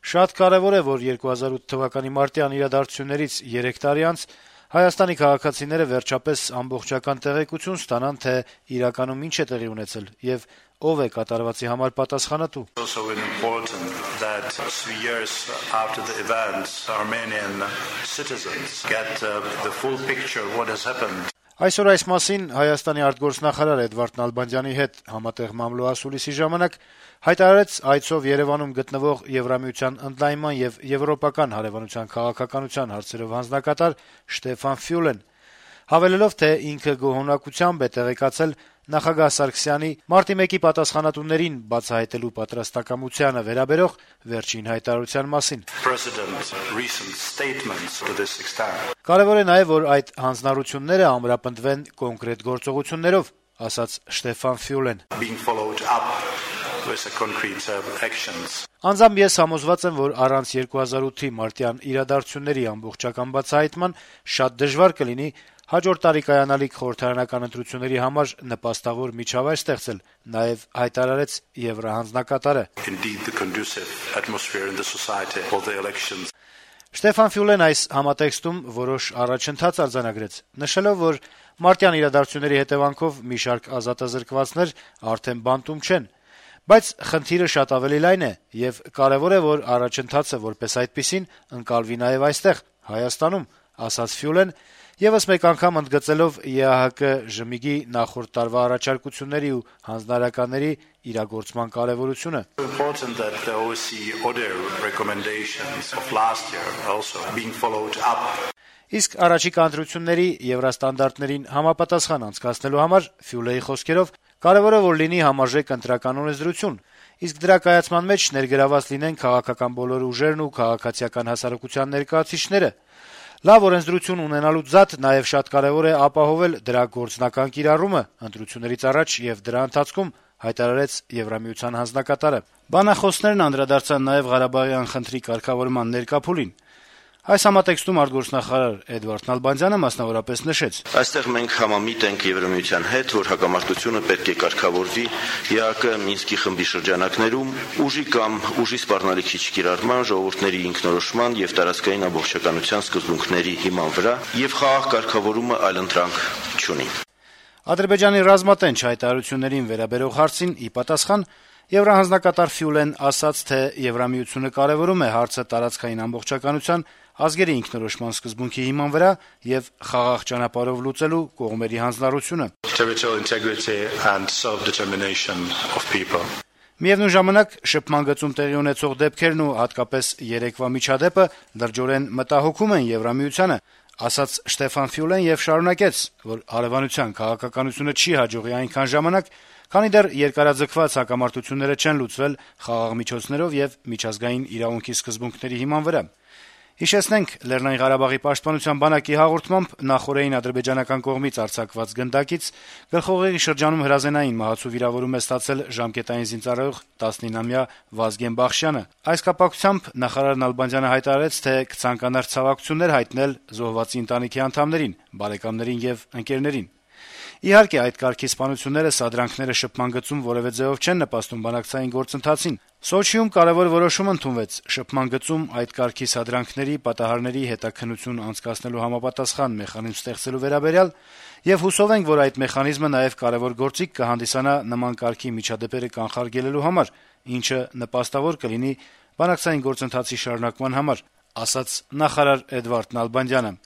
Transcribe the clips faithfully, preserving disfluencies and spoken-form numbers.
Շատ կարեւոր է, որ երկու հազար ութ թվականի մարտյան իրադարձություններից երեք տարի անց Հայաստանի քաղաքացիները վերջապես ամբողջական տեղեկություն ստանան, թե իրականում ինչ է տեղի ունեցել եւ ով է կատարվածի համար պատասխանատու։ Այսօր այս մասին Հայաստանի արտգործնախարար Էդվարդ Նալբանդյանի հետ համատեղ մամլո-ասուլիսի ժամանակ հայտարարեց այցով Երեւանում գտնվող Եվրամիության ընդլայնման եւ եվրոպական հարեւանության քաղաքականության հարցերով հանձնակատար Շտեֆան Ֆյուլեն, հավելելով, թե ինքը գոհունակությամբ է տեղեկացել նախագահ Սարգսյանի մարտի մեկի պատասխանատուներին բացահայտելու պատրաստակամությանը վերաբերող վերջին հայտարարության մասին։ Կարեւոր է նաեւ, որ այդ հանձնառությունները ամրապնդվեն կոնկրետ գործողություններով, ասաց Շտեֆան Ֆյուլեն։ Անձամբ ես համոզված եմ, որ առանց երկու հազար ութի մարտյան իրադարձությունների ամբողջական բացահայտման շատ դժվար կլինի հաջորդ տարի կայանալիք խորհրդարանական ընտրությունների համար նպաստավոր միջավայր ստեղծել, նաեւ հայտարարեց եվրահանձնակատարը։ Շտեֆան Ֆյուլեն այս համատեքստում որոշ առաջընթաց արձանագրեց, նշելով, որ մարտյան իրադարձությունների հետեւանքով մի շարք ազատազրկվածներ արդեն բանտում չեն, բայց խնդիրը շատ ավելի լայն է եւ կարեւոր է, որ առաջընթացը որպես այդպիսին ընկալվի նաեւ այստեղ, Հայաստանում, ասաց Ֆյուլեն, եւս մեկ անգամ ընդգծելով ԵԱՀԿ ժմիգի նախորդ տարվա առաջարկությունների ու հանձնարարականների իրագործման կարեւորությունը։ Իսկ առաջիկա ընտրությունների եվրաստանդարտներին համապատասխան անցկացնելու համար Ֆյուլեի խոսքերով կարեւոր է, որ լինի համարժեք ընտրական օրենսդրություն, իսկ դրա կայացման մեջ ներգրաված լինեն քաղաքական բոլոր ուժերն ու քաղաքացիական հասարակության ներկայացուցիչները։ Լավ օրենսդրություն ունենալուց զատ նաեւ շատ կարեւոր է ապահովել դրա գործնական կիրառումը ընտրություններից առաջ եւ դրա ընթացքում, հայտարարեց Եվրամիության հանձնակատարը։ Բանախոսներն անդրադարձան նաեւ Ղարաբաղյան խնդրի կարգավորման ներկա փուլին։ Այս համատեքստում արտգործնախարար Էդվարդ Նալբանդյանը մասնավորապես նշեց. Այստեղ մենք համամիտ ենք Եվրամիության հետ, որ հակամարտությունը պետք է կարգավորվի ԵԱՀԿ Մինսկի խմբի շրջանակներում, ուժի կամ ուժի սպառնալիքի չկիրառման, ժողովուրդների ինքնորոշման եւ տարածքային ամբողջականության սկզբունքների հիման վրա եւ խաղաղ կարգավորումը այլընտրանք չունի։ Ադրբեջանի ռազմատենչ հայտարարություններին վերաբերող հարցին ի պատասխան Եվրահանձնակատար Ֆյուլեն ասաց, թե Եվրամիությունը կարեւորում է հարցը տարածքային ամբողջականության, ազգերի ինքնորոշման սկզբունքի հիման վրա եւ խաղաղ ճանապարհով լուծելու կողմերի հանձնառությունը։ Միևնույն ժամանակ շփման գծում տեղի ունեցող դեպքերն ու հատկապես երեկվա միջադեպը լրջորեն մտահոգում են Եվրամիությանը, ասաց Շտեֆան Ֆյուլեն եւ շարունակեց, որ հարեւանության քաղաքականությունը չի հաջողի այնքան ժամանակ, քանի դեռ երկարաձգված հակամարտությունները չեն լուծվել խաղաղ միջոցներով եւ միջազգային իրավունքի սկզբունքների հիման վրա։ Հիշեցնենք, Լեռնային Ղարաբաղի պաշտպանության բանակի հաղորդմամբ նախօրեին ադրբեջանական կողմից արձակված գնդակից գլխուղեղի շրջանում հրազենային մահացու վիրավորում է ստացել ժամկետային զինծառայող տասնինամյա Վազգեն Բախշյանը։ Այս կապակցությամբ նախարար Նալբանդյանը հայտարարեց, թե կցանկանար ցավակցություններ հայտնել զոհվածի ընտանիքի անդամներին, բարեկամներին եւ ընկերներին։ Իհարկե, այդ կարգի սպանությունները, սադրանքները շփման գծում որևէ ձեւով չեն նպաստում բանակցային գործընթացին։ Սոչիում կարևոր որոշում ընդունվեց շփման գծում այդ կարգի սադրանքների պատահարների հետաքննություն անցկացնելու համապատասխան մեխանիզմ ստեղծելու վերաբերյալ եւ հուսով ենք, որ այդ մեխանիզմը նաեւ կարևոր գործիք կհանդիսանա նման կարգի միջադեպերը կանխարգելելու համար, ինչը նպաստավոր կլինի բանակցային գործընթացի շարունակման համար, ասաց նախարար Էդվարդ Նալբանդյանը։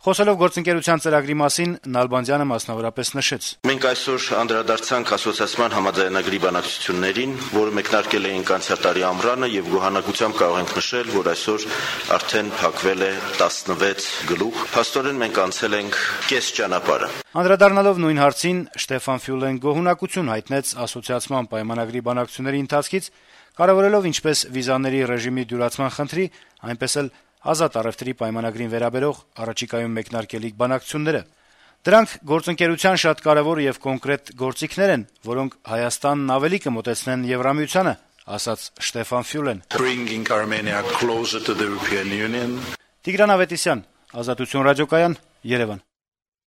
Խոսելով գործընկերության ծրագրի մասին, Նալբանդյանը մասնավորապես նշեց. Մենք այսօր անդրադարձանք ասոցիացիան համաձայնագրի բանակցություններին, որը մեկնարկել էինք անցյալ տարի ամռանը եւ գոհանակությամբ կարող ենք նշել, որ այսօր արդեն փակվել է տասնվեց գլուխ։ Փաստորեն մենք անցել ենք կես ճանապարհը։ Անդրադառնալով նույն հարցին, Շտեֆան Ֆյուլեն գոհունակություն հայտնեց ասոցիացիան պայմանագրի բանակցությունների ընթացքից, կարևորելով ինչպես վիզաների ռեժիմի դյուրացման խնդրի, այնպես էլ ազատ առևտրի պայմանագրին վերաբերող առաջիկայում մեկնարկելիք բանակցությունները։ Դրանք գործընկերության շատ կարևոր եւ կոնկրետ գործիքներ են, որոնք Հայաստանն ավելի կմոտեցնեն Եվրամիությանը, ասաց Շտեֆան Ֆյուլեն։ Տիգրան Ավետիսյան, Ազատություն ռադիոկայան, Երևան։